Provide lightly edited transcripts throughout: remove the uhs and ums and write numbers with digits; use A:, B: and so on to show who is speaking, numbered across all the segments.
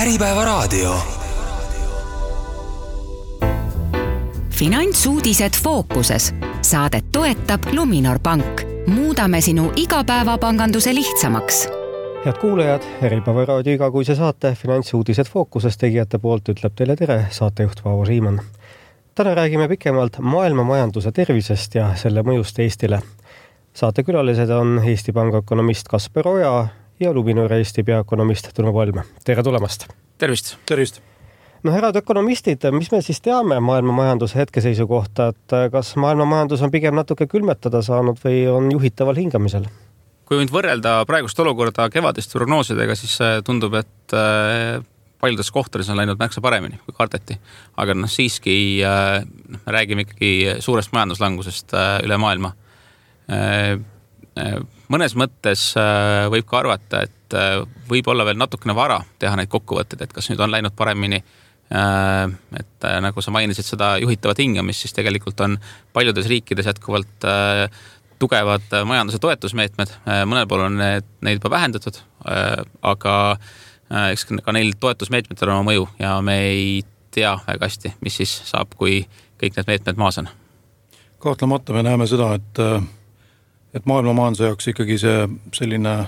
A: Äripäevaraadio.
B: Finantsuudised fookuses. Saadet toetab Luminor Pank. Muudame sinu igapäevapanganduse lihtsamaks.
C: Head kuulajad, Äripäevaraadio igakuise saate Finantsuudised fookuses tegijate poolt ütleb teile tere saatejuht Paavo Siimann. Täna räägime pikemalt maailma majanduse tervisest ja selle mõjust Eestile. Saatekülalised on Eesti Panga ökonomist Kasper Oja ja Luminor Eesti peaökonomist Tõnu Palm. Tere tulemast!
D: Tervist!
E: Tervist!
C: No head ökonomistid, mis me siis teame maailma majanduse hetkeseisu kohta, et kas maailma majandus on pigem natuke külmetada saanud või on juhitaval hingamisel?
D: Kui nüüd võrrelda praegust olukorda kevadist prognoosidega, siis tundub, et paljudes kohtades on läinud märksa paremini kui kardeti. Aga siiski me räägime ikkagi suurest majanduslangusest üle maailma. Mõnes mõttes võib ka arvata, et võib olla veel natukene vara teha neid kokkuvõtteid, et kas nüüd on läinud paremini, et nagu sa mainisid seda juhitavat hingamist, siis tegelikult on paljudes riikides jätkuvalt tugevad majanduse toetusmeetmed. Mõnel pool on neid juba vähendatud, aga eks ka neil toetusmeetmetel on oma mõju ja me ei tea väga hästi, mis siis saab, kui kõik need meetmed maas on.
E: Kahtlemata me näeme seda, et maailma majanduse jaoks ikkagi see selline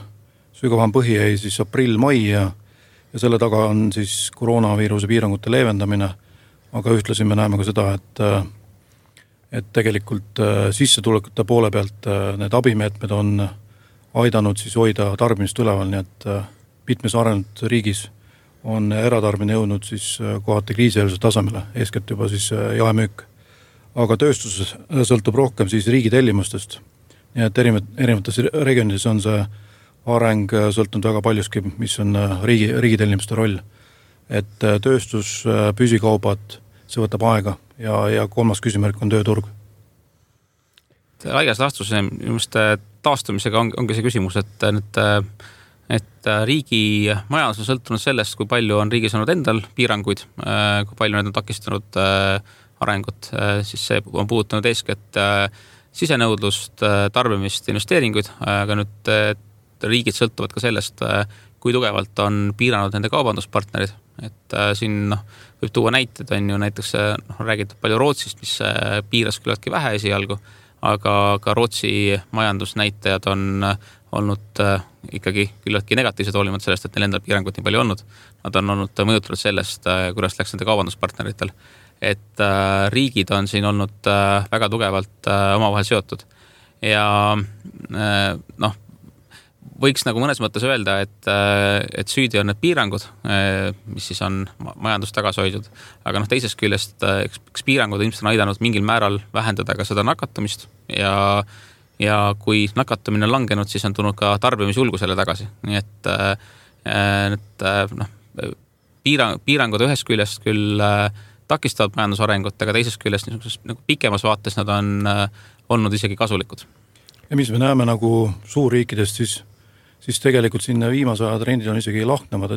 E: sügavam põhi jäi siis aprill-mai ja selle taga on siis koroonaviiruse piirangute leevendamine, aga ühtlasi me näeme ka seda, et tegelikult sissetulekute poole pealt need abimeetmed on aidanud siis hoida tarbimist üleval, nii et mitmes arenenud riigis on eratarbimine jõudnud siis kohati kriisieelse tasemele, eeskätt juba siis jaemüük. Aga tööstus sõltub rohkem siis riigi tellimustest, nii et erinevates regioonides on see areng sõltunud väga paljuski, mis on riigi tellimuste roll. Et tööstus, püsikaubad, see võtab aega ja kolmas küsimärk on tööturg.
D: Laias laastus taastumisega ongi see küsimus, et riigi majandus on sõltunud sellest, kui palju on riigis olnud endal piiranguid, kui palju need on takistanud arengut, siis see on puudutanud eeskätt sisenõudlust, tarbimist, investeeringuid, aga nüüd riigid sõltuvad ka sellest, kui tugevalt on piiranud nende kaubanduspartnerid. Et siin võib tuua näited, on ju näiteks räägitud palju Rootsist, mis piiras küllaltki vähe esialgu, aga ka Rootsi majandusnäitajad on olnud ikkagi küllaltki negatiivsed hoolimata sellest, et neil endal piirangut nii palju olnud. Nad on olnud mõjutatud sellest, kuidas läks nende kaubanduspartneritel. Et riigid on siin olnud väga tugevalt omavahel seotud. Ja võiks nagu mõnes mõttes öelda, et süüdi on need piirangud, mis siis on majandust tagasi hoidnud. Aga teisest küljest, eks piirangud ilmselt on aidanud mingil määral vähendada ka seda nakatumist ja kui nakatumine on langenud, siis on tulnud ka tarbimisjulgusele tagasi. Nii et piirangud ühest küljest küll takistavad majandusarengut, aga teisest küljest nagu pikemas vaates nad on olnud isegi kasulikud.
E: Ja mis me näeme nagu suurriikidest, siis tegelikult siin viimase aja trendid on isegi lahknevad,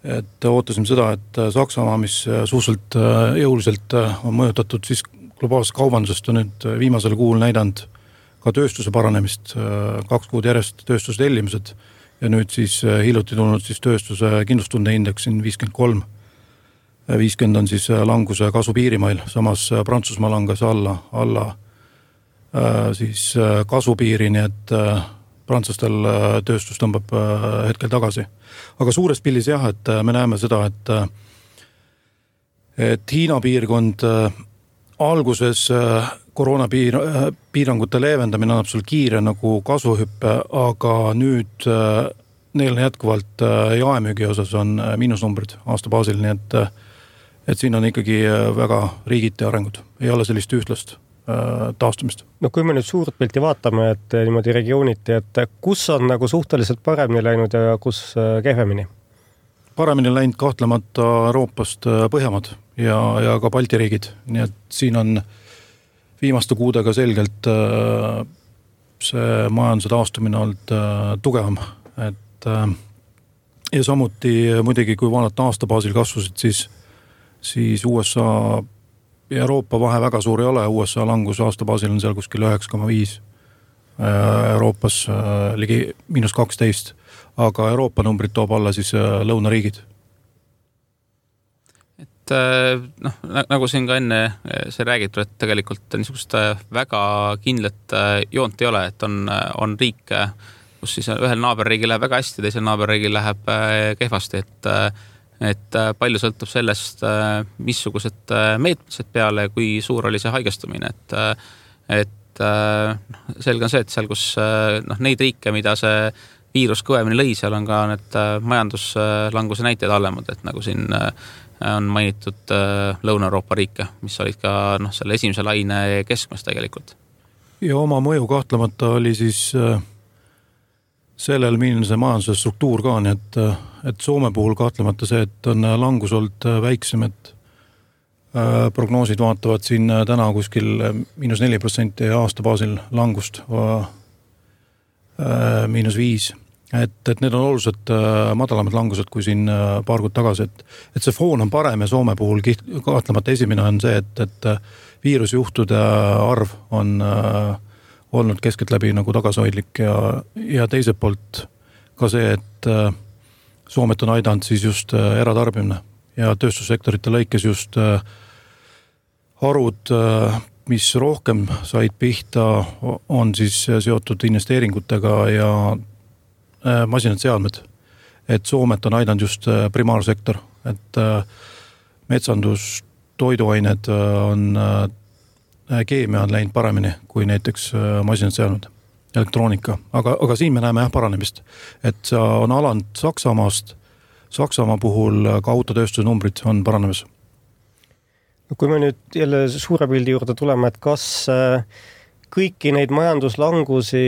E: et ootasime seda, et Saksamaa, mis suhteliselt jõuliselt on mõjutatud siis globaalsest kaubandusest, on nüüd viimasel kuul näidanud ka tööstuse paranemist, 2 kuud järjest tööstuse tellimused ja nüüd siis hiljuti tulnud siis tööstuse kindlustunde indeks siin 53. 50 on siis languse kasvu piirimail, samas Prantsusmaa langes alla siis kasvupiiri, nii et prantslastel tööstus tõmbab hetkel tagasi. Aga suures pildis jah, et me näeme seda, et Hiina piirkond alguses koroonapiirangute leevendamine annab sul kiire nagu kasvuhüppe, aga nüüd neil jätkuvalt jaemüügi osas on miinusnumbrid aasta baasil, nii et siin on ikkagi väga riigiti arengud. Ei ole sellist ühtlast taastumist.
C: No kui me nüüd suurt pilti vaatame, et niimoodi regiooniti, et kus on nagu suhteliselt paremini läinud ja kus kehvemini?
E: Paremini läinud kahtlemata Euroopast Põhjamaad ja ka Balti riigid. Nii et siin on viimaste kuudega selgelt see majanduse taastumine olnud tugevam. Ja samuti muidugi, kui vaadata aasta baasil kasvusid, siis USA ja Euroopa vahe väga suur ei ole, USA langus aasta baasil on seal kuskil 9,5, Euroopas ligi -12, aga Euroopa numbrid toob alla siis lõunariigid
D: et nagu siin ka enne see räägitud, et tegelikult niisugust väga kindlat joont ei ole, et on riike, kus siis ühel naaberriigil läheb väga hästi, teisel naaberriigil läheb kehvasti, et palju sõltub sellest, missugused meetmised peale, kui suur oli see haigestumine, et selge on see, et seal, kus neid riike, mida see viirus kõvemini lõi, seal on ka need majanduslanguse näited hallemad, et nagu siin on mainitud Lõuna-Euroopa riike, mis olid ka selle esimese laine keskmes tegelikult.
E: Ja oma mõju kahtlemata oli siis sellel, milline see majanduse struktuur ka on, et Soome puhul kahtlemata see, et on langus olnud väiksem, et prognoosid vaatavad siin täna kuskil -4% aasta baasil langust, -5%. Et need on oluliselt madalamad langused kui siin paar kuud tagasi, et see foon on parem ja Soome puhul kahtlemata esimene on see, et viirusjuhtude arv on olnud keskeltläbi nagu tagasihoidlik ja teiselt poolt ka see, et Soomet on aidanud siis just eratarbimine ja tööstussektorite lõikes just harud, mis rohkem said pihta, on siis seotud investeeringutega ja masinad seadmed, et Soomet on aidanud just primaarsektor, et metsandus, toiduained on, keemia on läinud paremini kui näiteks masinad seadmed, elektroonika, aga siin me näeme paranemist, et see on alanud Saksamaast, Saksamaa puhul ka autotööstuse numbrid on paranemas.
C: Kui me nüüd jälle suure pildi juurde tuleme, et kas kõiki neid majanduslangusi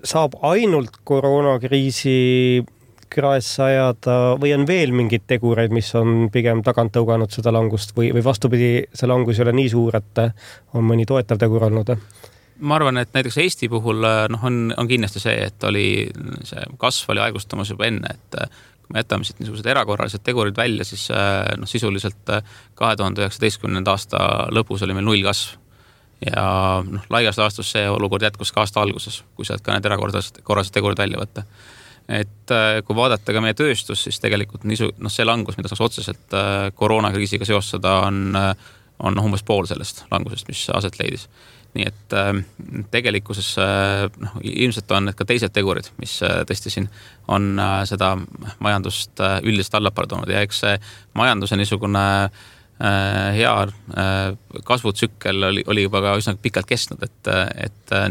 C: saab ainult koroonakriisi kraesse ajada või on veel mingid tegureid, mis on pigem tagant tõuganud seda langust või vastupidi, see langus ei ole nii suur, et on mõni toetav tegur olnud?
D: Ma arvan, et näiteks Eesti puhul on kindlasti see, et see kasv oli aegustamas juba enne, et kui me jätame siit niisugused erakorralised tegurid välja, siis sisuliselt 2019. aasta lõpus oli meil 0 kasv. Ja laias laastus see olukord jätkus ka aasta alguses, kui sealt ka need erakorralised tegurid välja võtta. Et kui vaadata ka meie tööstus, siis tegelikult see langus, mida saaks otseselt koroonakriisiga seostada, on umbes pool sellest langusest, mis aset leidis. Nii et tegelikkuses ilmselt on need ka teised tegurid, mis tõesti siin on seda majandust üldiselt allapoole toonud ja eks see majanduse niisugune hea kasvutsükkel oli juba ka üsna pikalt kestnud, et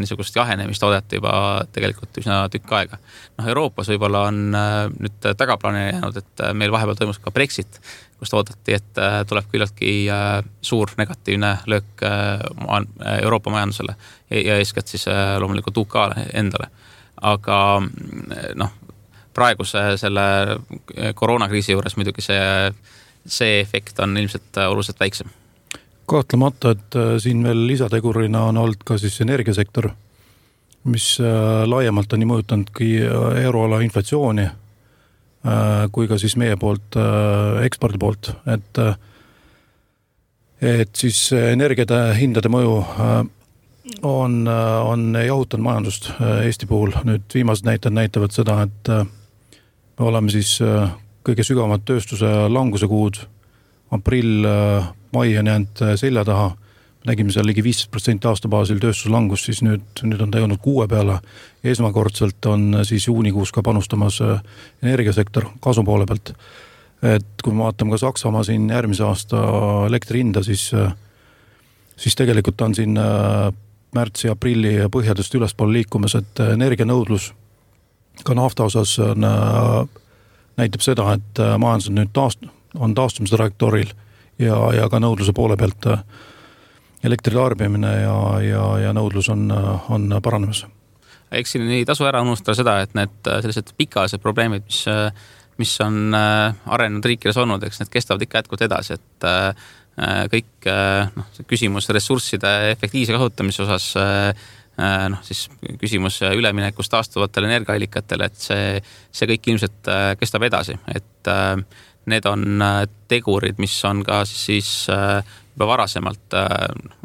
D: niisugust jahenemist oodati juba tegelikult üsna tükk aega. Euroopas võib-olla on nüüd tagaplaanile jäänud, et meil vahepeal toimus ka Brexit, kust oodati, et tuleb küllaltki suur negatiivne löök Euroopa majandusele ja eeskätt siis loomulikult UK-le endale. Aga praeguse selle koroonakriisi juures muidugi see efekt on ilmselt oluliselt väiksem.
E: Kahtlemata, et siin veel lisategurina on olnud ka siis energiasektor, mis laiemalt on nii mõjutanudki euroala inflatsiooni kui ka siis meie poolt, ekspordi poolt, et siis energiade hindade mõju on jahutanud majandust Eesti puhul. Nüüd viimased näited näitavad seda, et me oleme siis kõige sügavamad tööstuse languse kuud, aprill, mai on jäänud selja taha. Nägime seal ligi 15% aasta baasil tööstuslangus, siis nüüd on ta jõudnud 6 peale. Esmakordselt on siis juunikuus ka panustamas energiasektor kasu poole pealt. Et kui me vaatame ka Saksamaa siin järgmise aasta elektri hinda, siis tegelikult on siin märtsi, aprilli põhjadest ülespool liikumas, et energianõudlus ka nafta osas näitab seda, et majandus nüüd on taastumise trajektooril ja ka nõudluse poole pealt elektritarbimine ja nõudlus on paranemas.
D: Eks siin ei tasu ära unustada seda, et need sellised pikaajalised probleemid, mis on arenenud riikides olnud, eks need kestavad ikka jätkuvalt edasi, et kõik küsimus ressursside efektiivse kasutamise osas, siis küsimus üleminekust taastuvatele energiaallikatele, et see kõik ilmselt kestab edasi, et need on tegurid, mis on ka siis juba varasemalt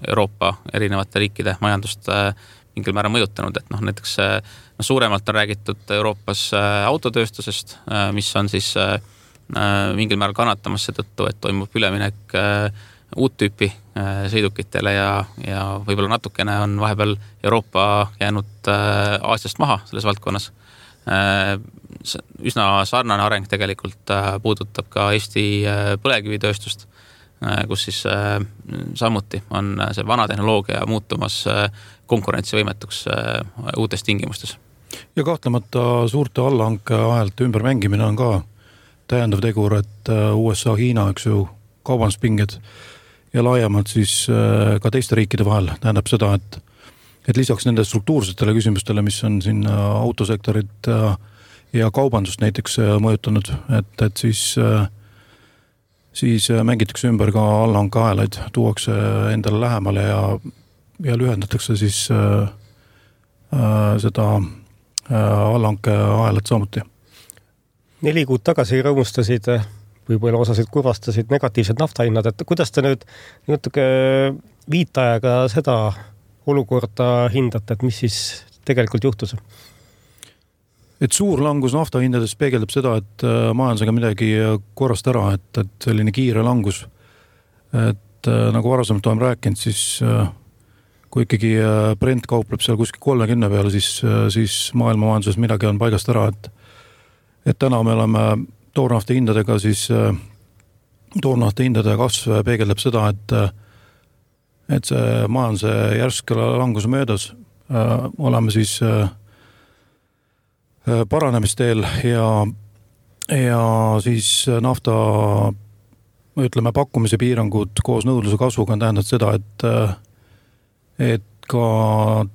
D: Euroopa erinevate riikide majandust mingil määral mõjutanud, et näiteks suuremalt on räägitud Euroopas autotööstusest, mis on siis mingil määral kannatamas seetõttu, et toimub üleminek uut tüüpi sõidukitele ja võib-olla natukene on vahepeal Euroopa jäänud Aasiast maha selles valdkonnas. Üsna sarnane areng tegelikult puudutab ka Eesti põlevkivitööstust, kus siis samuti on see vana tehnoloogia muutumas konkurentsivõimetuks uutes tingimustes.
E: Ja kahtlemata suurte allahanke ahelte ümbermängimine on ka täiendav tegur, et USA, Hiina, eks ju, kaubanduspinged ja laiemalt siis ka teiste riikide vahel tähendab seda, et lisaks nende struktuursetele küsimustele, mis on siin autosektorit ja kaubandust näiteks mõjutanud, et siis mängitakse ümber ka allahanke ahelaid, tuuakse endale lähemale ja lühendatakse siis seda allahanke ahelat samuti.
C: 4 kuud tagasi rõõmustasid, võib-olla osasid kurvastasid negatiivsed naftahinnad, et kuidas te nüüd natuke viitajaga seda olukorda hindate, et mis siis tegelikult juhtus?
E: Et suur langus naftahindades peegeldab seda, et majandusega midagi korrast ära, et selline kiire langus. Et nagu varasemalt oleme rääkinud, siis kui ikkagi Brent kaupleb seal kuskil 30 peale, siis maailma majanduses midagi on paigast ära, et täna me oleme toornafta hindadega, siis toornafta hindade kasv peegeldab seda, et see majanduse järsk langus möödas, oleme siis paranemisteel ja siis nafta, ütleme, pakkumise piirangud koos nõudluse kasvuga on tähendanud seda, et ka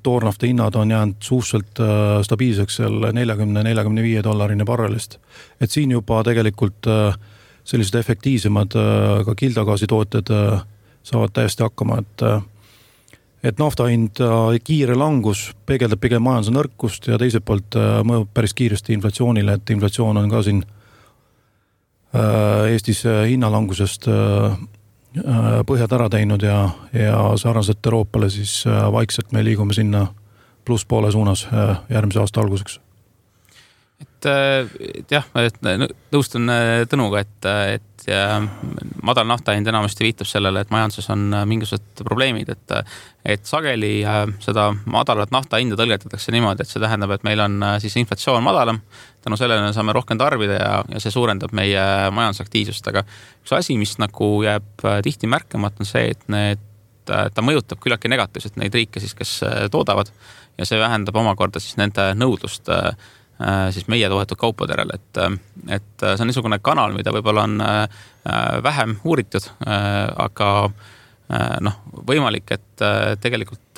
E: toornafta hinnad on jäänud suhteliselt stabiilseks seal $40–45 barrelist. Et siin juba tegelikult sellised efektiivsemad ka kildagaasi tooted saavad täiesti hakkama, et nafta hind kiire langus peegeldab pigem majanduse nõrkust ja teiselt poolt mõjub päris kiiresti inflatsioonile, et inflatsioon on ka siin Eestis hinnalangusest põhjad ära teinud ja sarnaselt Euroopale siis vaikselt me liigume sinna plusspoole suunas järgmise aasta alguseks.
D: Et jah, nõustun Tõnuga, et madal naftahind enamasti viitab sellele, et majanduses on mingisugused probleemid, et sageli seda madalat naftahinda tõlgendatakse niimoodi, et see tähendab, et meil on siis inflatsioon madalam, tänu sellele saame rohkem tarbida ja see suurendab meie majandusaktiivsust, aga üks asi, mis nagu jääb tihti märkamata, on see, et ta mõjutab küllaltki negatiivselt neid riike siis, kes toodavad ja see vähendab omakorda siis nende nõudlust siis meie toodetud kaupadel, et see on niisugune kanal, mida võib-olla on vähem uuritud, aga võimalik, et tegelikult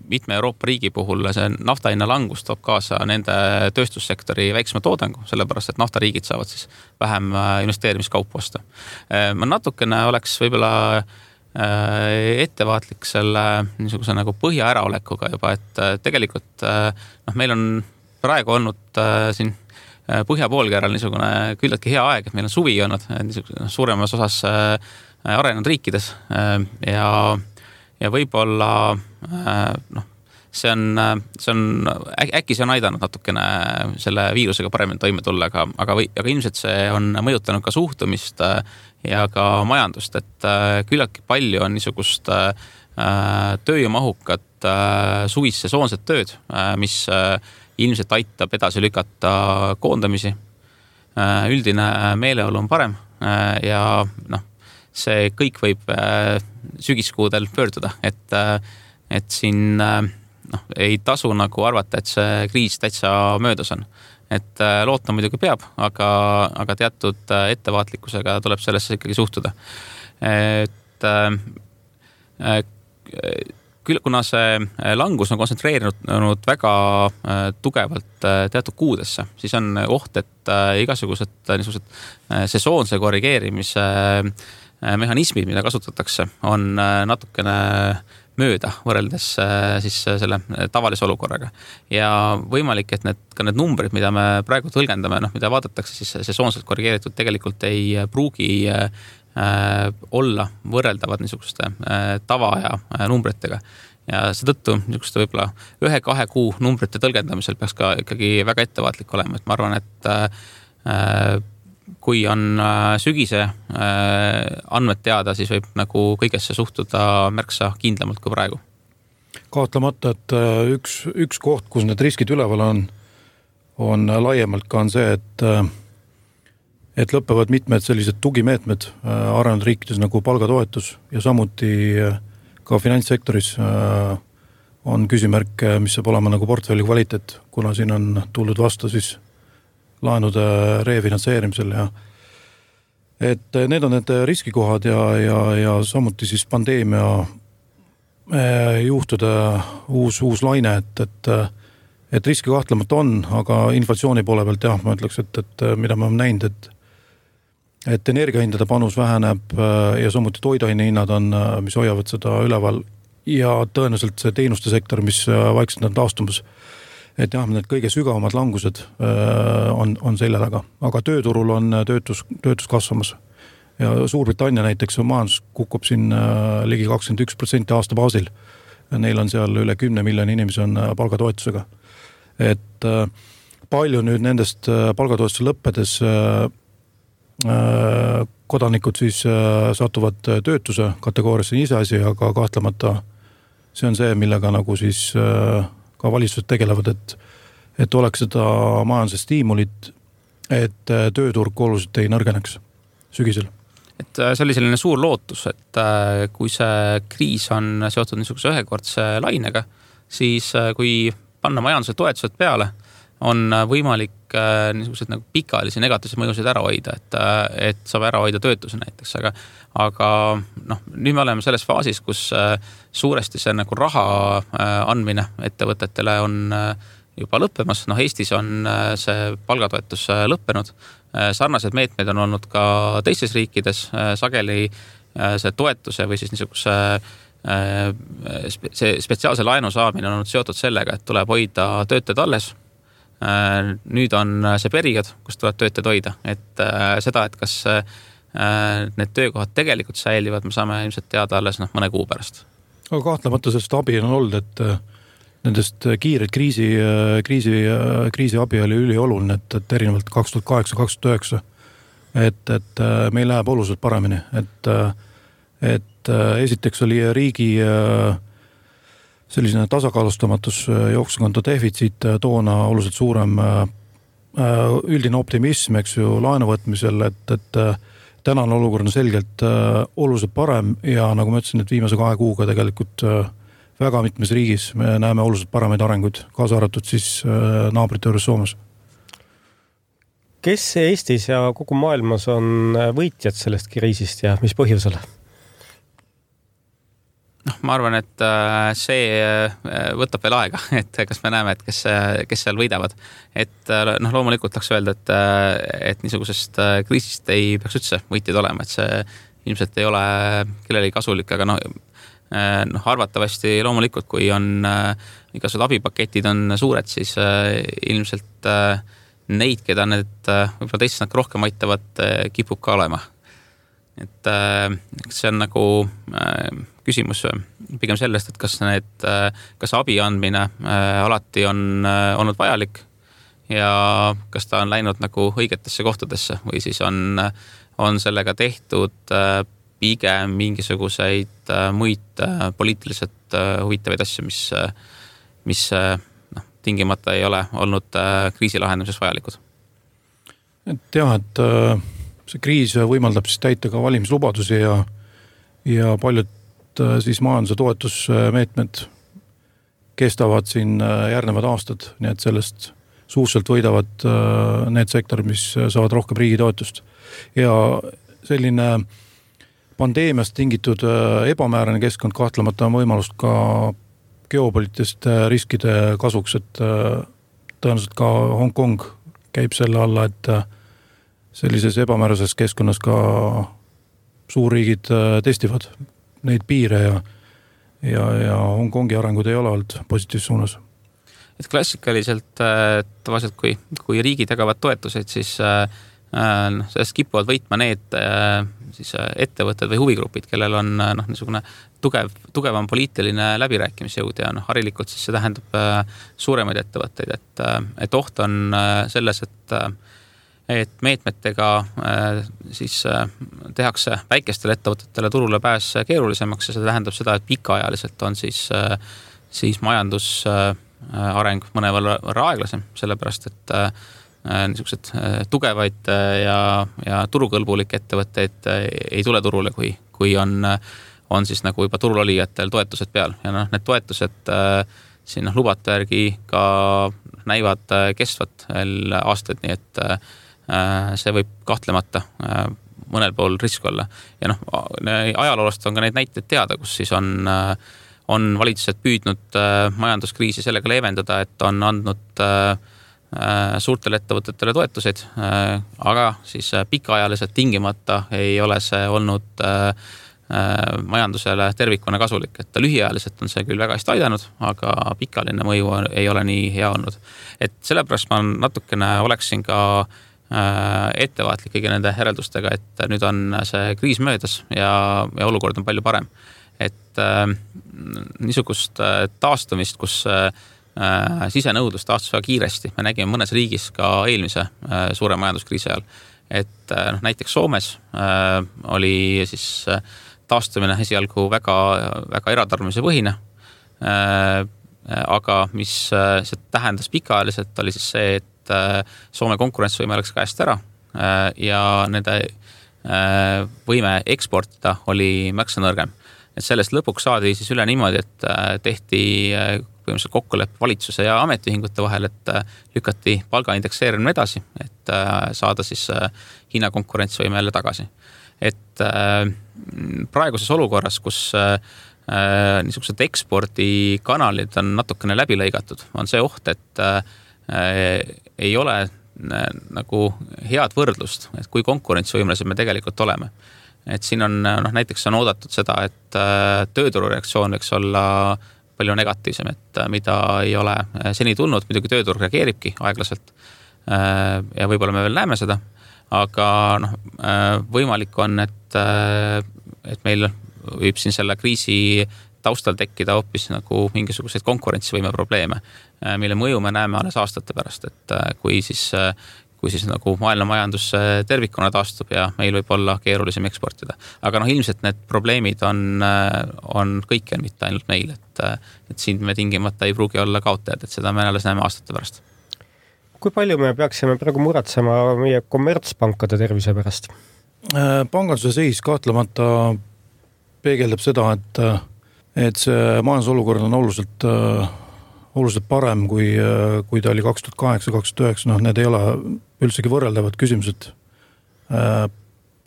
D: mitme Euroopa riigi puhul see naftahinna langus toob kaasa nende tööstussektori väiksema toodangu, sellepärast, et naftariigid saavad siis vähem investeerimiskaupu osta. Ma natukene oleks võib-olla ettevaatlik selle niisuguse nagu põhja äraolekuga juba, et tegelikult meil on praegu olnud siin põhja poolkeral niisugune küllaltki hea aeg, et meil on suvi olnud suuremas osas arenenud riikides ja võib-olla see on äkki see on aidanud natukene selle viirusega paremini toime tulla, aga ilmselt see on mõjutanud ka suhtumist ja ka majandust, et küllaltki palju on niisugust tööjõumahukat suvist sesoonset tööd, mis ilmselt aitab edasi lükata koondamisi. Üldine meeleolu on parem ja see kõik võib sügiskuudel pöörduda, et siin ei tasu nagu arvata, et see kriis täitsa möödas on. Et loota muidugi peab, aga teatud ettevaatlikkusega tuleb sellesse ikkagi suhtuda. Et kuna see langus on kontsentreerinud väga tugevalt teatud kuudesse, siis on oht, et igasugused niisugused sesoonse korrigeerimise mehhanismid, mida kasutatakse, on natukene mööda võrreldes siis selle tavalise olukorraga. Ja võimalik, et need numbrid, mida me praegu tõlgendame, mida vaadatakse, siis sesoonselt korrigeeritud tegelikult ei pruugi olla võrreldavad niisuguste tavaaja numbritega. Ja seetõttu niisuguste võib-olla 1-2 kuu numbrite tõlgendamisel peaks ka ikkagi väga ettevaatlik olema, et ma arvan, et kui on sügise andmed teada, siis võib nagu kõigesse suhtuda märksa kindlamalt kui praegu.
E: Kahtlemata, et üks koht, kus need riskid üleval on laiemalt ka on see, et lõpevad mitmed sellised tugimeetmed arenenud riikides nagu palgatoetus ja samuti ka finantssektoris on küsimärk, mis saab olema nagu portfelli kvaliteet, kuna siin on tuldud vastu siis laenude refinantseerimisel ja et need on need riskikohad ja samuti siis pandeemia juhtude uus laine, et riski kahtlemata on, aga inflatsiooni poole pealt jah, ma ütleks, et mida me oleme näinud, et energiahindade panus väheneb ja samuti toiduaine hinnad on, mis hoiavad seda üleval ja tõenäoliselt see teenuste sektor, mis vaikselt on taastumas, et jah, need kõige sügavamad langused on selja taga, aga tööturul on töötus kasvamas ja Suurbritannia näiteks majandus kukub siin ligi 21% aasta baasil. Neil on seal üle 10 miljoni inimesi on palgatoetusega. Et palju nüüd nendest palgatoetuse lõppedes kodanikud siis satuvad töötuse kategooriasse iseasi, aga kahtlemata see on see, millega nagu siis ka valitsused tegelevad, et oleks seda majanduse stiimulit, et tööturg oluliselt ei nõrgeneks sügisel.
D: Et see oli selline suur lootus, et kui see kriis on seotud niisuguse ühekordse lainega, siis kui panna majanduse toetused peale, on võimalik niisugused nagu pikaajalisi negatiivseid mõjusid ära hoida, et saab ära hoida töötuse näiteks, aga nüüd me oleme selles faasis, kus suuresti see nagu raha andmine ettevõtetele on juba lõppemas. Eestis on see palgatoetus lõppenud. Sarnased meetmed on olnud ka teistes riikides, sageli see toetuse või siis niisuguse see spetsiaalse laenu saamine on olnud seotud sellega, et tuleb hoida töötajad alles. Nüüd on see periood, kus tuleb töötajad hoida, et seda, et kas need töökohad tegelikult säilivad, me saame ilmselt teada alles mõne kuu pärast.
E: Aga kahtlemata sellest abi on olnud, et nendest kiired kriisi abi oli ülioluline, et erinevalt 2008-2009, et meil läheb oluliselt paremini, et esiteks oli riigi selline tasakaalustamatus jooksukonto defitsiit toona oluliselt suurem üldine optimism, eks ju, laenuvõtmisel, et tänane olukord on selgelt oluliselt parem ja nagu ma ütlesin, et viimase 2 kuuga tegelikult väga mitmes riigis me näeme oluliselt paremaid arenguid, kaasa arvatud siis naabrite juures Soomes.
C: Kes Eestis ja kogu maailmas on võitjad sellest kriisist ja mis põhjusel?
D: Ma arvan, et see võtab veel aega, et kas me näeme, et kes seal võidavad. Et loomulikult tahaks öelda, et niisugusest kriisist ei peaks üldse võitjad olema, et see ilmselt ei ole kellelegi kasulik, aga arvatavasti loomulikult, kui on igasugused abipaketid on suured, siis ilmselt neid, keda need võib-olla teised rohkem aitavad, kipub ka olema. Et see on nagu küsimus pigem sellest, et kas abi andmine alati on olnud vajalik ja kas ta on läinud nagu õigetesse kohtadesse või siis on sellega tehtud pigem mingisuguseid muid poliitiliselt huvitavaid asju, mis tingimata ei ole olnud kriisi lahendamises vajalikud.
E: Et jah, et see kriis võimaldab siis täita ka valimislubadusi ja paljud siis majanduse toetusmeetmed kestavad siin järgnevad aastad, nii et sellest suuselt võidavad need sektorid, mis saavad rohkem riigi toetust. Ja selline pandeemiast tingitud ebamäärane keskkond kahtlemata on võimalust ka geopoliitiliste riskide kasuks, et tõenäoliselt ka Hong Kong käib selle alla, et sellises ebamäärases keskkonnas ka suurriigid testivad neid piire ja Hong Kongi arengud ei ole olnud positiivses suunas.
D: Et klassikaliselt tavaliselt, kui riigid jagavad toetuseid, siis sellest kipuvad võitma need siis ettevõtted või huvigrupid, kellel on niisugune tugevam poliitiline läbirääkimisjõud ja harilikult siis see tähendab suuremaid ettevõtteid, et oht on selles, et meetmetega siis tehakse väikestele ettevõtetele turule pääs keerulisemaks ja see tähendab seda, et pikaajaliselt on siis majandusareng mõnevõrra aeglasem, sellepärast et niisugused tugevaid ja turukõlbulikke ettevõtteid ei tule turule, kui on siis nagu juba turul olijatel toetused peal ja need toetused siin lubate järgi ka näivad kestvat veel aastaid, nii et see võib kahtlemata mõnel pool risk olla. Ja ajaloolast on ka neid näiteid teada, kus siis on valitsused püüdnud majanduskriisi sellega leevendada, et on andnud suurtele ettevõtetele toetuseid, aga siis pikaajaliselt tingimata ei ole see olnud majandusele tervikuna kasulik, et lühiajaliselt on see küll väga hästi aidanud, aga pikaline mõju ei ole nii hea olnud. Et sellepärast ma natukene oleksin ka ettevaatlik kõigi nende järeldustega, et nüüd on see kriis möödas ja olukord on palju parem. Et niisugust taastumist, kus sisenõudlus taastus väga kiiresti, me nägime mõnes riigis ka eelmise suure majanduskriisi ajal, et näiteks Soomes oli siis taastumine esialgu väga, väga eratarbimise põhine, aga mis see tähendas pikaajaliselt, oli siis see, et Soome konkurentsivõime läks käest ära ja nende võime eksportida oli märksa nõrgem. Et sellest lõpuks saadi siis üle niimoodi, et tehti põhimõtteliselt kokkuleppe valitsuse ja ametiühingute vahel, et lükati palga indekseerimine edasi, et saada siis hinnakonkurentsivõime jälle tagasi. Et praeguses olukorras, kus niisugused ekspordikanalid on natukene läbi lõigatud, on see oht, et ei ole nagu head võrdlust, et kui konkurentsivõimelised me tegelikult oleme. Et siin on, näiteks on oodatud seda, et tööturu reaktsioon võiks olla palju negatiivsem, et mida ei ole seni tulnud, muidugi tööturg reageeribki aeglaselt ja võib-olla me veel näeme seda, aga võimalik on, et meil võib siin selle kriisi taustal tekkida hoopis nagu mingisuguseid konkurentsivõime probleeme, mille mõju me näeme alles aastate pärast, et kui siis nagu maailma majandus tervikuna taastub ja meil võib olla keerulisem eksportida. Aga ilmselt need probleemid on kõikjal, mitte ainult meil, et siin me tingimata ei pruugi olla kaotajad, et seda me alles näeme aastate pärast.
C: Kui palju me peaksime praegu muretsema meie kommertspankade tervise pärast?
E: Panganduse seis kahtlemata peegeldab seda, et see majandusolukord on oluliselt parem, kui ta oli 2008-2009, need ei ole üldsegi võrreldavad küsimused.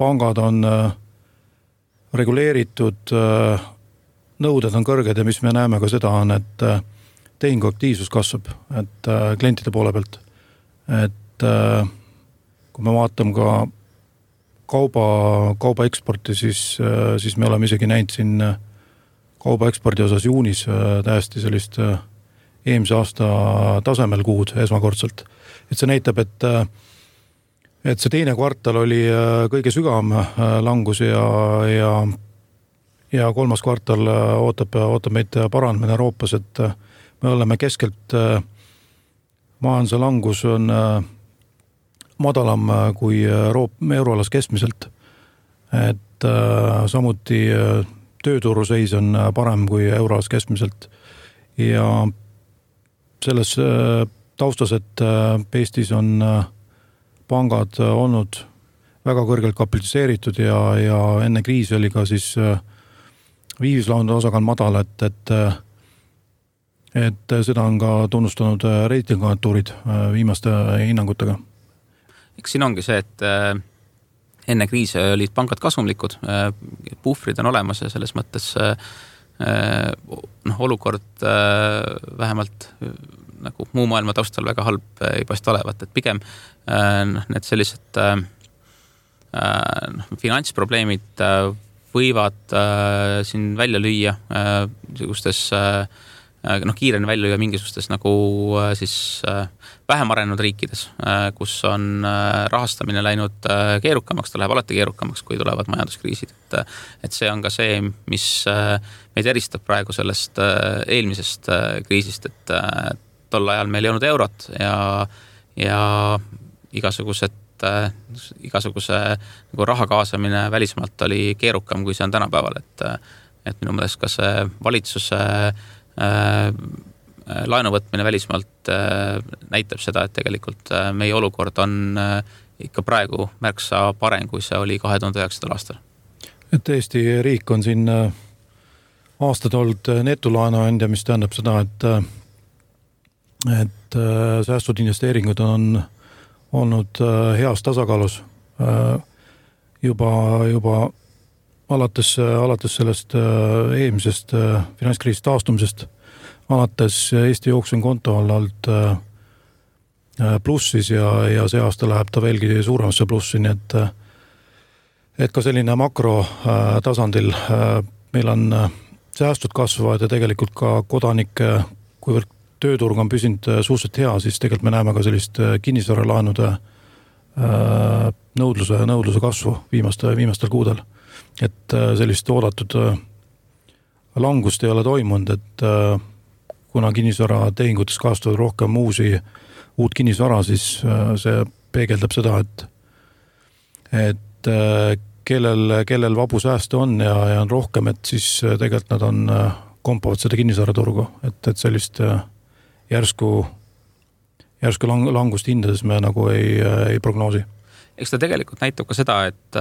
E: Pangad on reguleeritud, nõuded on kõrged ja mis me näeme ka seda on, et tehinguaktiivsus kasvab, et klientide poole pealt. Et kui me vaatame ka kauba eksporti, siis me oleme isegi näinud siin kauba ekspordi osas juunis täiesti sellist eelmise aasta tasemel kuud esmakordselt. Et see näitab, et see teine kvartal oli kõige sügavam langus ja kolmas kvartal ootab meid paranemine Euroopas, et me oleme keskelt majanduse langus on madalam kui euroalas keskmiselt. Et samuti tööturu seis on parem kui euroalas keskmiselt ja selles taustas, et Eestis on pangad olnud väga kõrgelt kapitaliseeritud ja enne kriisi oli ka siis viivislaenude osakaal madal, et seda on ka tunnustanud reitinguagentuurid viimaste hinnangutega.
D: Eks siin ongi see, et enne kriisi olid pangad kasumlikud, puhvrid on olemas ja selles mõttes olukord vähemalt nagu muu maailma taustal väga halb ei paista olevat, et pigem need sellised finantsprobleemid võivad siin välja lüüa niisugustes kiireni välja lüüa mingisugustes nagu siis vähem arenenud riikides, kus on rahastamine läinud keerukamaks, ta läheb alati keerukamaks, kui tulevad majanduskriisid. Et see on ka see, mis meid eristab praegu sellest eelmisest kriisist, et tol ajal meil ei olnud eurot ja igasugused et igasuguse nagu raha kaasamine välismaalt oli keerukam, kui see on tänapäeval, et minu meelest ka see valitsuse laenuvõtmine välismaalt näitab seda, et tegelikult meie olukord on ikka praegu märksa parem, kui see oli 2009. aastal.
E: Et Eesti riik on siin aastad olnud netolaenuandja, mis tähendab seda, et säästud investeeringud on olnud heas tasakaalus juba alates sellest eelmisest finantskriisist taastumisest, alates Eesti jooksukonto olnud plussis ja see aasta läheb ta veelgi suuremasse plussi, nii et ka selline makro tasandil meil on säästud kasvavad ja tegelikult ka kodanike, kuivõrd tööturg on püsinud suhteliselt hea, siis tegelikult me näeme ka sellist kinnisvaralaenude nõudluse kasvu viimastel kuudel. Et sellist oodatud langust ei ole toimunud, et kuna kinnisvaratehingutes kasvavad rohkem uut kinnisvara, siis see peegeldab seda, et kellel vabu sääste on ja on rohkem, et siis tegelikult nad kompavad seda kinnisvaraturgu, et sellist järsku langust hindades me nagu ei prognoosi.
D: Eks ta tegelikult näitab ka seda, et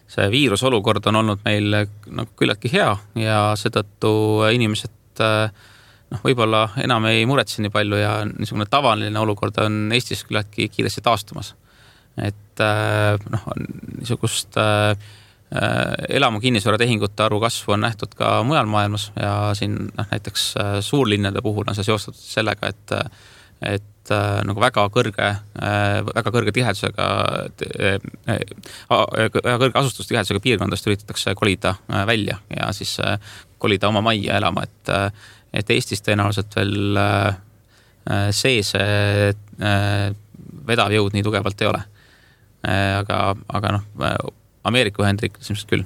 D: see viirusolukord on olnud meil nagu küllaltki hea ja seetõttu inimesed võib-olla enam ei muretse nii palju ja niisugune tavaline olukord on Eestis küllaltki kiiresti taastumas. Et niisugust elamu kinnisvaratehingute arvu kasvu on nähtud ka mujal maailmas ja siin näiteks suurlinnade puhul on see seostatud sellega, et nagu väga kõrge tihedusega väga kõrge asustustihedusega piirkondadest üritatakse kolida välja ja siis kolida oma majja elama, et Eestis tõenäoliselt veel see vedav jõud nii tugevalt ei ole. Aga Ameerika Ühendriikides ilmselt küll.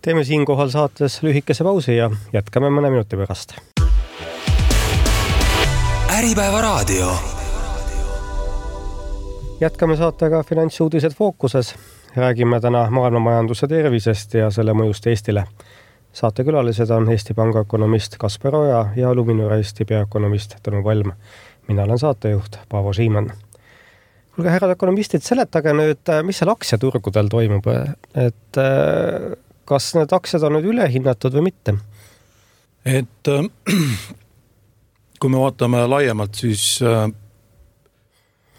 C: Teeme siinkohal saates lühikese pausi ja jätkame mõne minuti pärast.
A: Äripäeva raadio.
C: Jätkame saatega Finantsuudised fookuses. Räägime täna maailmamajanduse tervisest ja selle mõjust Eestile. Saatekülalised on Eesti Panga ökonomist Kaspar Oja ja Luminor Eesti peaökonomist Tõnu Palm. Mina olen saatejuht Paavo Siimann. Kuulge, härrad ökonomistid, seletage nüüd, mis seal aktsiaturgudel toimub, et kas need aktsiad on nüüd ülehinnatud või mitte?
E: Et kui me vaatame laiemalt, siis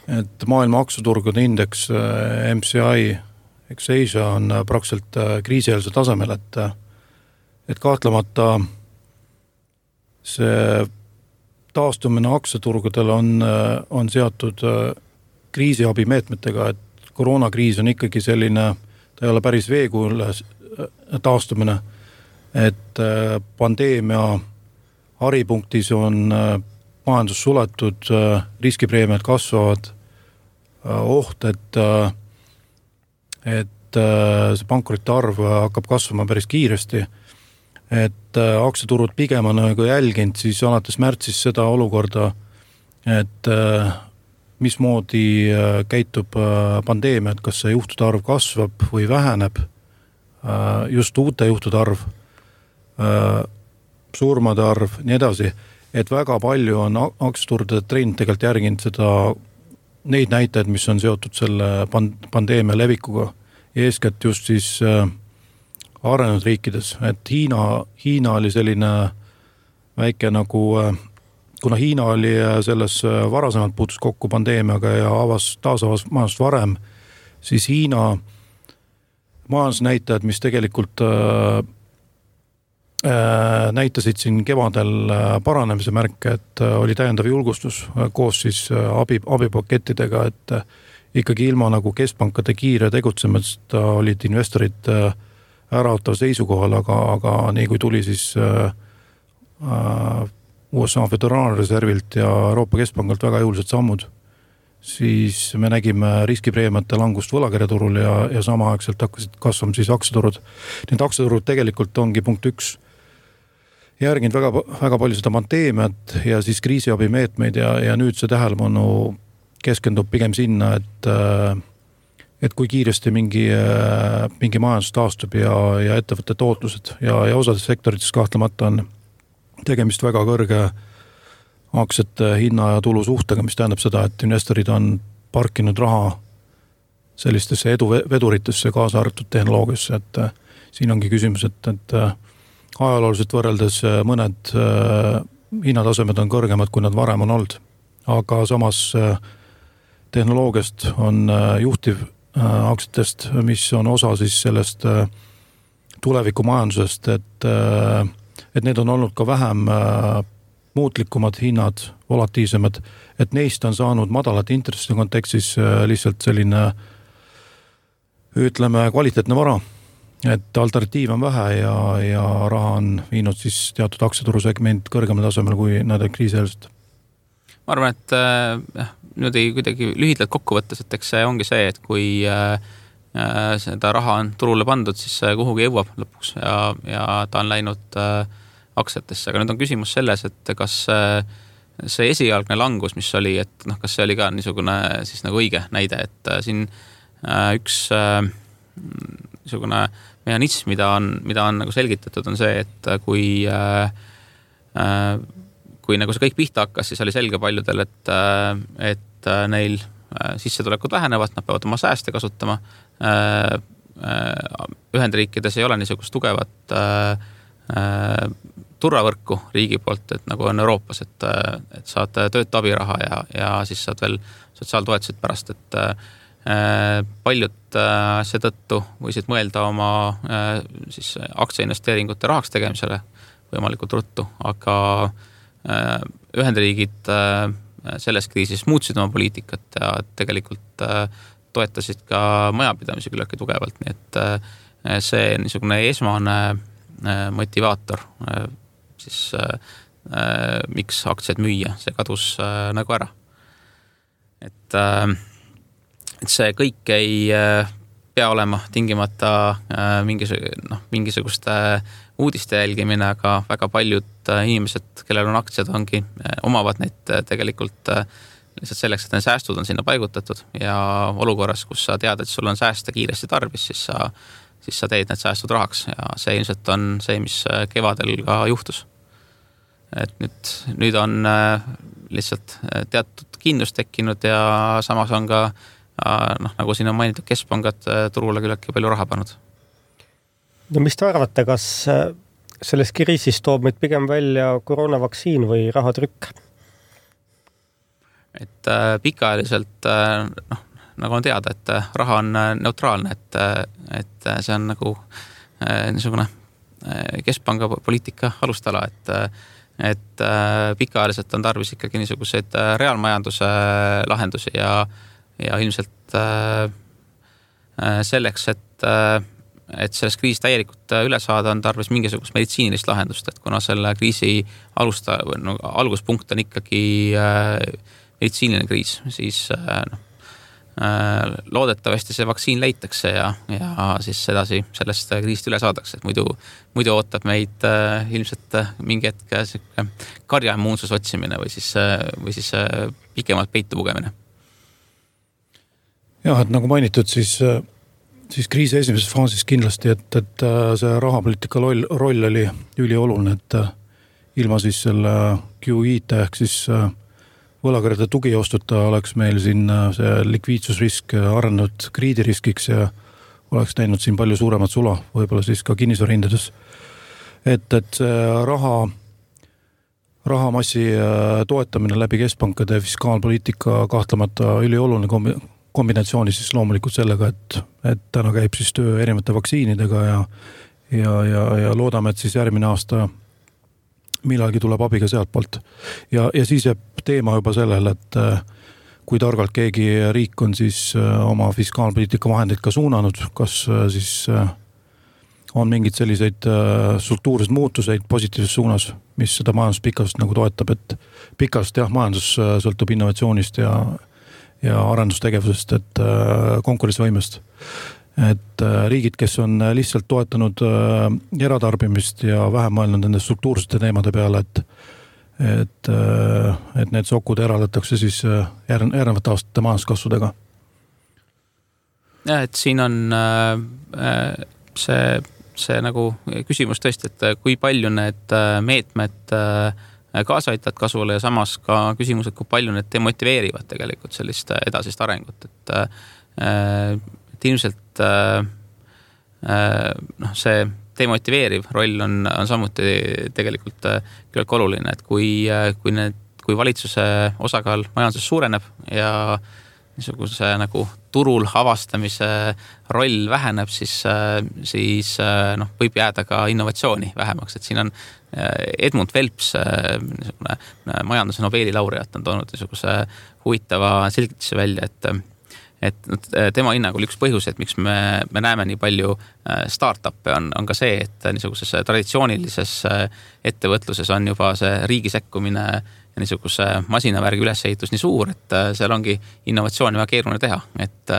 E: et maailma aktsiaturgude indeks MSCI Asia on praktiliselt kriisieelse tasemel, et kahtlemata see taastumine aktsiaturgudel on seatud kriisiabimeetmetega, et koroonakriis on ikkagi selline, ta ei ole päris veekujul taastumine, et pandeemia haripunktis on majandus suletud, riskipreemiad kasvavad, oht, et see pankrite arv hakkab kasvama päris kiiresti, et aktsiaturud pigem on nagu jälginud siis alates märtsis seda olukorda, et mismoodi käitub pandeemia, et kas see juhtude arv kasvab või väheneb, just uute juhtude arv, surmade arv, nii edasi, et väga palju on aktsiaturgude trend tegelikult järginud neid näitajaid, mis on seotud selle pandeemia levikuga, eeskätt just siis arenenud riikides, et Hiina oli selline väike nagu, kuna Hiina oli selles varasemalt puutus kokku pandeemiaga ja taasavas majandust varem, siis Hiina majandusnäitajad, mis tegelikult näitasid siin kevadel paranemise märke, et oli täiendav julgustus koos siis abipakettidega, et ikkagi ilma nagu keskpankade kiire tegutsemist olid investorid äraotav seisukohal, aga nii kui tuli siis USA Föderaalreservilt ja Euroopa Keskpangalt väga jõulised sammud, siis me nägime riskipreemiate langust võlakirjaturul ja samaaegselt hakkasid kasvama siis aktsiaturud. Need aktsiaturud tegelikult ongi punkt 1 järginud väga palju seda pandeemiat ja siis kriisiabimeetmeid ja nüüd see tähelepanu keskendub pigem sinna, et kui kiiresti mingi majandus taastub ja ettevõtte tootlused ja osades sektorites kahtlemata on tegemist väga kõrge aktsiate hinna ja tulu suhtega, mis tähendab seda, et investorid on parkinud raha sellistesse eduveduritesse kaasa arvatud tehnoloogiasse, et siin ongi küsimus, et ajalooliselt võrreldes mõned hinnatasemed on kõrgemad, kui nad varem on olnud. Aga samas tehnoloogiast on juhtiv aktsiatest, mis on osa siis sellest tulevikumajandusest, et need on olnud ka vähem muutlikumad hinnad, volatiivsemad, et neist on saanud madalate intresside kontekstis lihtsalt selline, ütleme, kvaliteetne vara, et alternatiiv on vähe ja raha on viinud siis teatud aktsiaturusegment kõrgemal tasemel kui nad kriisieelselt.
D: Ma arvan, et nüüd ei kuidagi lühidalt kokku võttes, et eks see ongi see, et kui seda raha on turule pandud, siis kuhugi jõuab lõpuks ja ta on läinud aktsiatesse, aga nüüd on küsimus selles, et kas see esialgne langus, mis oli, et kas see oli ka niisugune siis nagu õige näide, et siin üks niisugune mehhanism, mida on nagu selgitatud, on see, et kui nagu see kõik pihta hakkas, siis oli selge paljudel, et neil sissetulekud vähenevad, nad peavad oma sääste kasutama. Ühendriikides ei ole niisugust tugevat turvavõrku riigi poolt, et nagu on Euroopas, et saad töötu abiraha ja siis saad veel sotsiaaltoetused pärast, et paljud seetõttu võisid mõelda oma siis aktsiainvesteeringute rahaks tegemisele võimalikult ruttu, aga Ühendriigid selles kriisis muutsid oma poliitikat ja tegelikult toetasid ka majapidamisi küllaltki tugevalt, nii et see niisugune esmane motivaator siis miks aktsiaid müüa, see kadus nagu ära. Et see kõik ei pea olema tingimata mingisuguste uudiste jälgimine, aga väga paljud inimesed, kellel on aktsiad, omavad neid tegelikult lihtsalt selleks, et need säästud on sinna paigutatud ja olukorras, kus sa tead, et sul on sääste kiiresti tarvis, siis sa teed need säästud rahaks ja see ilmselt on see, mis kevadel ka juhtus. Et nüüd on lihtsalt teatud kindlus tekkinud ja samas on ka nagu siin on mainitud, keskpangad turule küllaltki palju raha pannud.
C: No mis te arvate, kas selles kriisis toob meid pigem välja koroonavaktsiin või rahatrükk?
D: Et pikaajaliselt nagu on teada, et raha on neutraalne, et see on nagu niisugune keskpanga poliitika alustala, et pikaajaliselt on tarvis ikkagi niisuguseid reaalmajanduse lahendusi ja ilmselt selleks, et sellest kriisist täielikult üle saada, on tarvis mingisugust meditsiinilist lahendust, et kuna selle kriisi alguspunkt on ikkagi meditsiiniline kriis, siis loodetavasti see vaktsiin leitakse ja siis edasi sellest kriisist üle saadakse, et muidu ootab meid ilmselt mingi hetk karjaimmuunsus otsimine või siis pikemalt peitu pugemine.
E: Jah, et nagu mainitud, siis kriisi esimeses faasis kindlasti, et see rahapoliitika roll oli ülioluline, et ilma siis selle QE-ta ehk siis võlakirjade tugiostuta oleks meil siin see likviidsusrisk arenenud krediidiriskiks ja oleks näinud siin palju suuremat sula, võib-olla siis ka kinnisvarahindades. Et see rahamassi toetamine läbi keskpankade fiskaalpoliitika kahtlemata ülioluline kombinatsiooni siis loomulikult sellega, et täna käib siis töö erinevate vaktsiinidega ja loodame, et siis järgmine aasta millalgi tuleb abiga sealt poolt. Ja siis jääb teema juba sellele, et kui targalt keegi riik on siis oma fiskaalpoliitika vahendeid ka suunanud, kas siis on mingid selliseid struktuurseid muutuseid positiivses suunas, mis seda majanduspikast nagu toetab, et pikast majandus sõltub innovatsioonist ja arendustegevusest, et konkurentsivõimest. Et riigid, kes on lihtsalt toetanud eratarbimist ja vähem mõelnud nende struktuursete teemade peale, et need sokud eraldatakse siis järgnevate aastate majanduskasvudega.
D: jah, et siin on see nagu küsimus tõesti, et kui palju need meetmed kaasa aitavad kasvule ja samas ka küsimus, et kui palju need demotiveerivad tegelikult sellist edasist arengut, et ilmselt see demotiveeriv roll on samuti tegelikult küllalt oluline, et kui valitsuse osakaal majanduses suureneb ja niisuguse nagu turul avastamise roll väheneb, siis võib jääda ka innovatsiooni vähemaks, et siin on Edmund Phelps, majanduse Nobeli laureaat, on toonud niisuguse huvitava selgituse välja, et tema hinnangul üks põhjus, et miks me näeme nii palju startup'e on ka see, et niisuguses traditsioonilises ettevõtluses on juba see riigi sekkumine ja niisuguse masinavärgi ülesehitus nii suur, et seal ongi innovatsiooni väga keeruline teha, et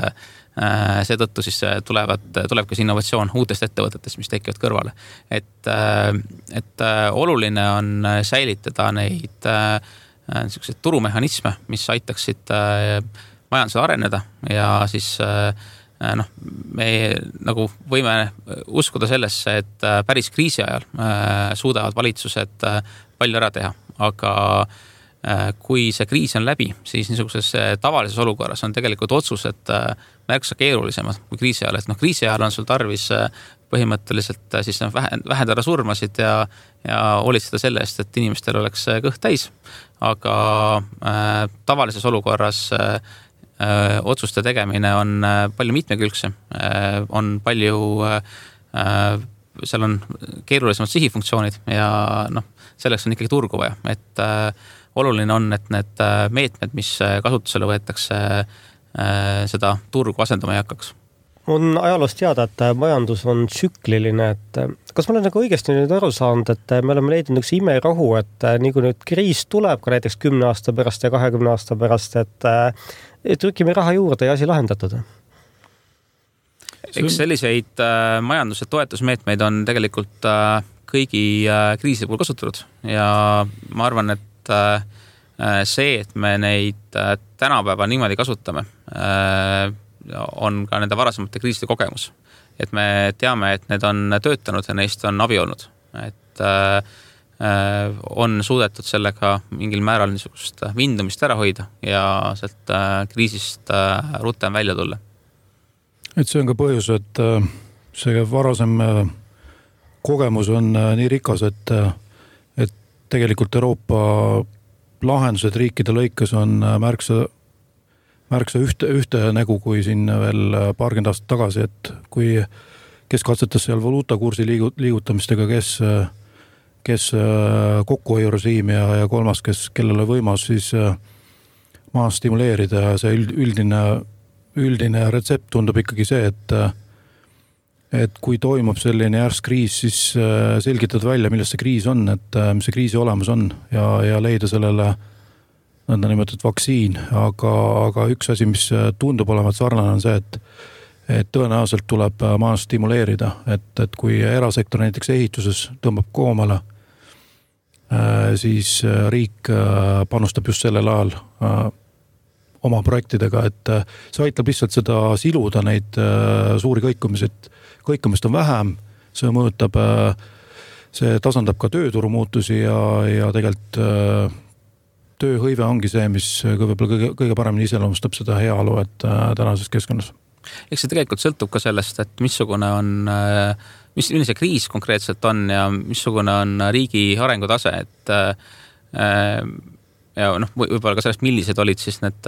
D: seetõttu siis tuleb ka innovatsioon uutest ettevõtetest, mis tekivad kõrvale. Et oluline on säilitada neid niisuguseid turumehhanisme, mis aitaksid majandusel areneda ja siis me nagu võime uskuda sellesse, et päris kriisi ajal suudavad valitsused palju ära teha, aga kui see kriis on läbi, siis niisuguses tavalises olukorras on tegelikult otsused märksa keerulisemad kui kriisi ajal, et kriisi ajal on sul tarvis põhimõtteliselt siis vähendada surmasid ja hoolitseda selle eest, et inimestel oleks kõht täis, aga tavalises olukorras otsuste tegemine on palju mitmekülgsem, on palju seal on keerulisemad sihifunktsioonid ja selleks on ikkagi turgu vaja, et oluline on, et need meetmed, mis kasutusele võetakse, seda turgu asendama ei hakkaks.
C: On ajaloost teada, et majandus on tsükliline, et kas ma olen nagu õigesti nüüd aru saanud, et me oleme leidnud üks imerahu, et nii kui nüüd kriis tuleb ka näiteks 10 aasta pärast ja 20 aasta pärast, et trükime raha juurde ja asi lahendatud?
D: Eks selliseid majanduse toetusmeetmeid on tegelikult kõigi kriisi puhul kasutatud ja ma arvan, et see, et me neid tänapäeva niimoodi kasutame, on ka nende varasemate kriiside kogemus. Et me teame, et need on töötanud ja neist on abi olnud. Et on suudetud sellega mingil määral niisugust vindumist ära hoida ja sealt kriisist rutem välja tulla.
E: Et see on ka põhjus, et see varasem kogemus on nii rikas, et tegelikult Euroopa lahendused riikide lõikes on märksa ühte nägu kui siin veel paarkümmend aastat tagasi, et kes katsetas seal valuutakursi liigutamistega, kes kokkuhoiurežiimi ja kolmas, kellele võimas siis maa stimuleerida ja see üldine retsept tundub ikkagi see, et kui toimub selline järsk kriis, siis selgitad välja, milles see kriis on, et mis see kriisi olemus on ja leida sellele nõnda nimetatud vaktsiin, aga üks asi, mis tundub olevat sarnane, on see, et tõenäoliselt tuleb majandust stimuleerida, et kui erasektor näiteks ehituses tõmbab koomale, siis riik panustab just sellel ajal oma projektidega, et see aitab lihtsalt seda siluda, neid suuri kõikumist on vähem, see mõjutab, see tasandab ka tööturu muutusi ja tegelikult tööhõive ongi see, mis võib-olla kõige paremini iseloomustab seda heaolu, et tänases keskkonnas.
D: Eks see tegelikult sõltub ka sellest, et missugune on, milline see kriis konkreetselt on ja missugune on riigi arengutase, et ja võib-olla ka sellest, millised olid siis need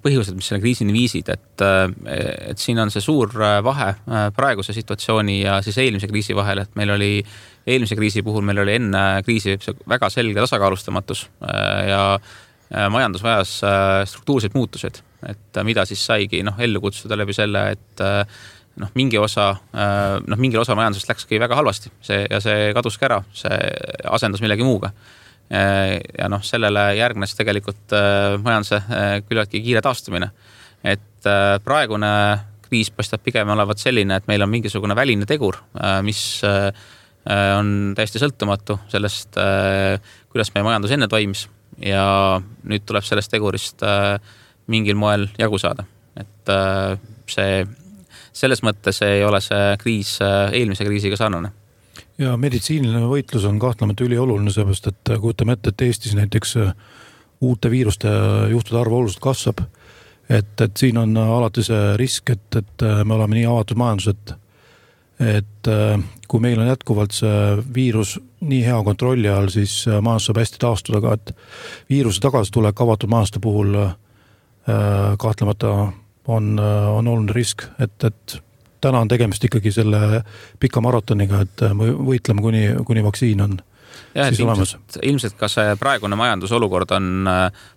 D: põhjused, mis selle kriisini viisid, et siin on see suur vahe praeguse situatsiooni ja siis eelmise kriisi vahel, et meil oli eelmise kriisi puhul, meil oli enne kriisi väga selge tasakaalustamatus ja majandus vajas struktuurseid muutused, et mida siis saigi ellu kutsuda läbi selle, et mingil osa majandusest läkski väga halvasti ja see kaduski ära, see asendus millegi muuga. Ja sellele järgnes tegelikult majanduse küllaltki kiire taastumine. Et praegune kriis paistab pigem olevat selline, et meil on mingisugune väline tegur, mis on täiesti sõltumatu sellest, kuidas meie majandus enne toimis ja nüüd tuleb sellest tegurist mingil moel jagu saada. Et selles mõttes ei ole see kriis eelmise kriisiga sarnane.
E: Ja meditsiiniline võitlus on kahtlemata ülioluline, seepärast, et kujutame ette, et Eestis näiteks uute viiruste juhtude arv oluliselt kasvab. Et siin on alati see risk, et me oleme nii avatud majandus, et kui meil on jätkuvalt see viirus nii hea kontrolli all, siis majandus saab hästi taastuda ka, et viiruse tagasitulek avatud majanduste puhul kahtlemata on oluline risk, et täna on tegemist ikkagi selle pika maratoniga, et me võitleme kuni vaktsiin on siis olemas.
D: Ilmselt ka see praegune majandusolukord on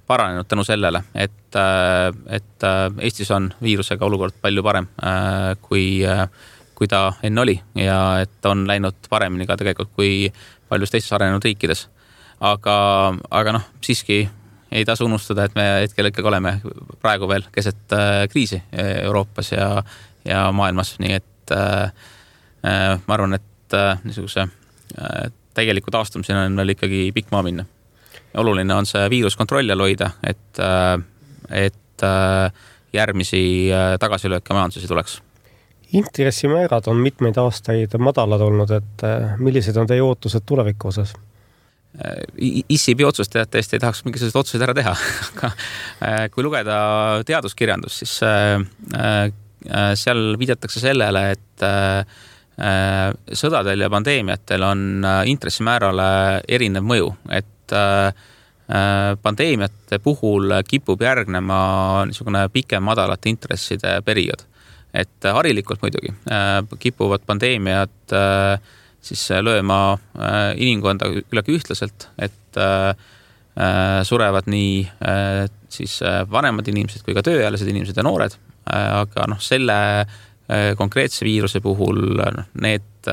D: paranenud tänu sellele, et Eestis on viirusega olukord palju parem kui ta enne oli ja et on läinud paremini ka tegelikult kui paljus teistes arenenud riikides. Aga siiski ei tasu unustada, et me hetkel ikkagi oleme praegu veel keset kriisi Euroopas ja maailmas, nii et ma arvan, et niisuguse tegeliku taastumisena on veel ikkagi pikk maa minna. Oluline on see viirus kontrolli all hoida, et järgmisi tagasilööke majanduses tuleks.
C: Intressimäärad on mitmeid aastaid madalad olnud, et millised on teie ootused tuleviku osas?
D: ISIB-i otsust tõesti ei tahaks mingisugused otsused ära teha, aga kui lugeda teaduskirjandus, siis seal viidatakse sellele, et sõdadel ja pandeemiatel on intressimäärale erinev mõju, et pandeemiate puhul kipub järgnema niisugune pikem madalate intresside periood. Et harilikult muidugi kipuvad pandeemiad siis lööma inimkonda küllaltki ühtlaselt, et surevad nii siis vanemad inimesed kui ka tööealised inimesed ja noored, aga selle konkreetse viiruse puhul need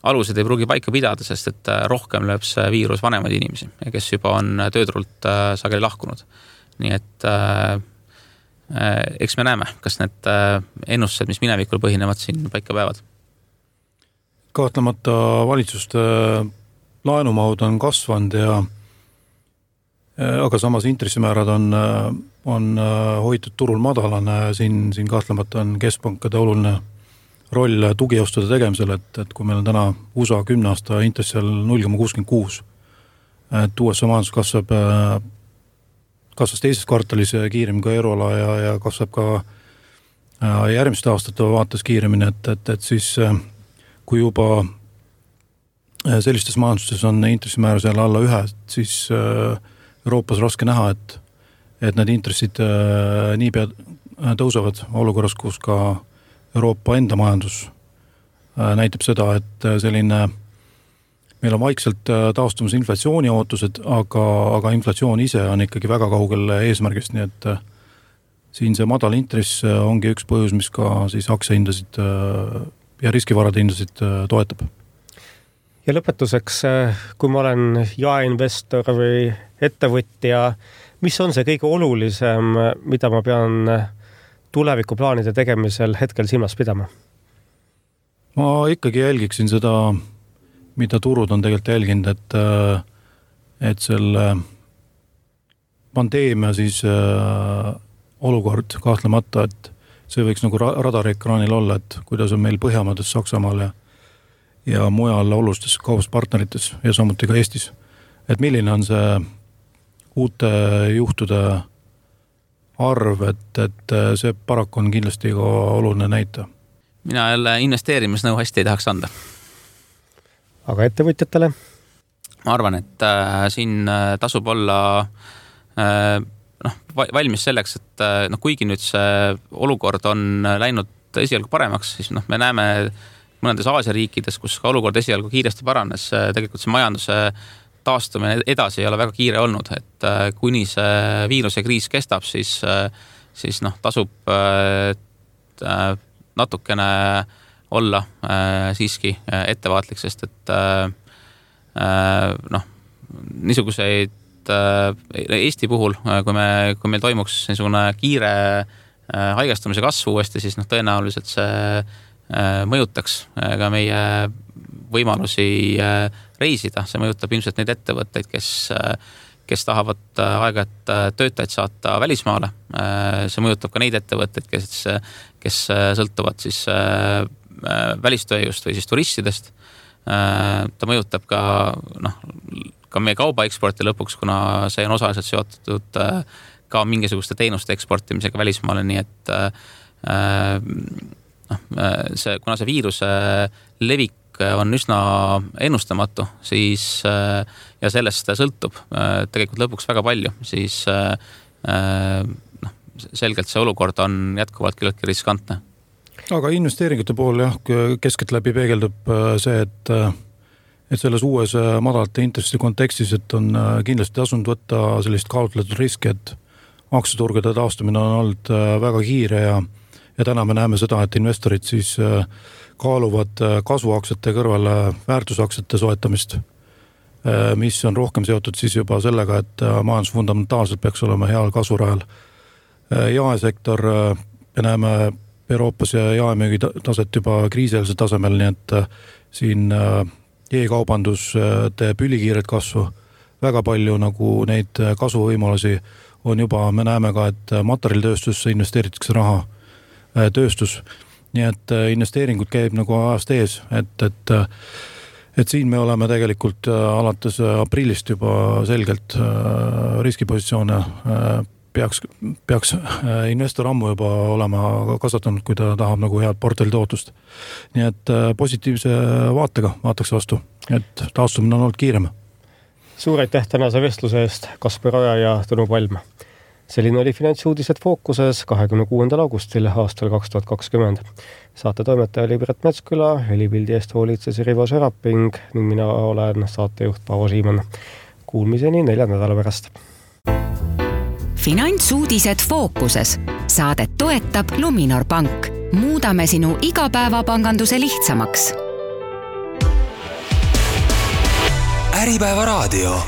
D: alused ei pruugi paika pidada, sest et rohkem lööb see viirus vanemaid inimesi, kes juba on tööturult sageli lahkunud. Nii et eks me näeme, kas need ennustused, mis minevikul põhinevad, siin paika päevad.
E: Kahtlemata valitsuste laenumahud on kasvanud aga samas intressimäärad on hoitud turul madalane. Siin kahtlemata on keskpankade oluline roll tugiostude tegemisel, et kui meil on täna USA 10 aasta intress seal 0,66, et USA majandus kasvas teises kvartalis kiiremini ka euroala ja kasvab ka järgmiste aastate vaates kiiremini, et siis kui juba sellistes majandustes on intressimäär seal alla 1, siis Euroopas raske näha, et need intressid niipea tõusevad olukorras, kus ka Euroopa enda majandus näitab seda, et selline meil on vaikselt taastumas inflatsiooni ootused, aga inflatsioon ise on ikkagi väga kaugel eesmärgist, nii et siin see madal intress ongi üks põhjus, mis ka siis aktsiahindasid ja riskivarade hindasid toetab.
C: Ja lõpetuseks, kui ma olen jaeinvestor või ettevõtja, mis on see kõige olulisem, mida ma pean tulevikuplaanide tegemisel hetkel silmas pidama?
E: Ma ikkagi jälgiksin seda, mida turud on tegelikult jälginud, et selle pandeemia siis olukord kahtlemata, et see võiks nagu radariekraanil olla, et kuidas on meil Põhjamaades, Saksamaal ja mujal olulistes kaubaspartnerites ja samuti ka Eestis. Et milline on see uute juhtude arv, et see paraku on kindlasti ka oluline näita.
D: Mina jälle investeerimisnõu hästi ei tahaks anda.
C: Aga ettevõtjatele?
D: Ma arvan, et siin tasub olla valmis selleks, et kuigi nüüd see olukord on läinud esialgu paremaks, siis me näeme mõnedes Aasia riikides, kus ka olukord esialgu kiiresti paranes, tegelikult see majanduse taastumine edasi ei ole väga kiire olnud, et kuni see viiruse kriis kestab, siis tasub natukene olla siiski ettevaatlik, sest et niisuguseid Eesti puhul, kui meil toimuks niisugune kiire haigestumise kasvu uuesti, siis tõenäoliselt see mõjutaks ka meie võimalusi reisida. See mõjutab ilmselt neid ettevõtteid, kes tahavad aeg-ajalt töötajaid saata välismaale. See mõjutab ka neid ettevõtteid, kes sõltuvad siis välistööjõust või siis turistidest. Ta mõjutab ka meie kauba eksporti lõpuks, kuna see on osaliselt seotud ka mingisuguste teenuste eksportimisega välismaale, nii et kuna see viiruse levik on üsna ennustamatu, siis ja sellest sõltub tegelikult lõpuks väga palju, siis selgelt see olukord on jätkuvalt küllaltki riskantne.
E: Aga investeeringute pool keskeltläbi peegeldub see, et selles uues madalate intressi kontekstis, et on kindlasti tasunud võtta sellist kaalutletud riski, et aktsiaturgude taastumine on olnud väga kiire ja täna me näeme seda, et investorid siis kaaluvad kasvuaktsiate kõrvale väärtusaktsiate soetamist, mis on rohkem seotud siis juba sellega, et majandus fundamentaalselt peaks olema heal kasvurajal. Jaesektor, me näeme Euroopas ja jaemüügi taset juba kriisieelsel tasemel, nii et siin e-kaubandus teeb ülikiiret kasvu. Väga palju nagu neid kasvuvõimalusi on juba, me näeme ka, et materjalitööstusse investeeritakse raha, tööstus. Nii et investeeringud käib nagu ajast ees, et siin me oleme tegelikult alates aprillist juba selgelt riskipositsioone peaks investor ammu juba olema kasvatanud, kui ta tahab nagu head portfelli tootust. Nii et positiivse vaatega vaataks vastu, et taastumine on olnud kiirem.
C: Suur aitäh tänase vestluse eest, Kaspar Oja ja Tõnu Palm. Selline oli Finantsuudised Fookuses 26. augustil aastal 2020. Saate toimetaja oli Piret Metsküla, helipildi eest hoolitses Rivo Seraping ning mina olen saatejuht Paavo Siimann. Kuulmiseni 4 nädala pärast.
B: Finantsuudised Fookuses. Saadet toetab Luminor Pank. Muudame sinu igapäevapanganduse lihtsamaks.
A: Äripäeva raadio.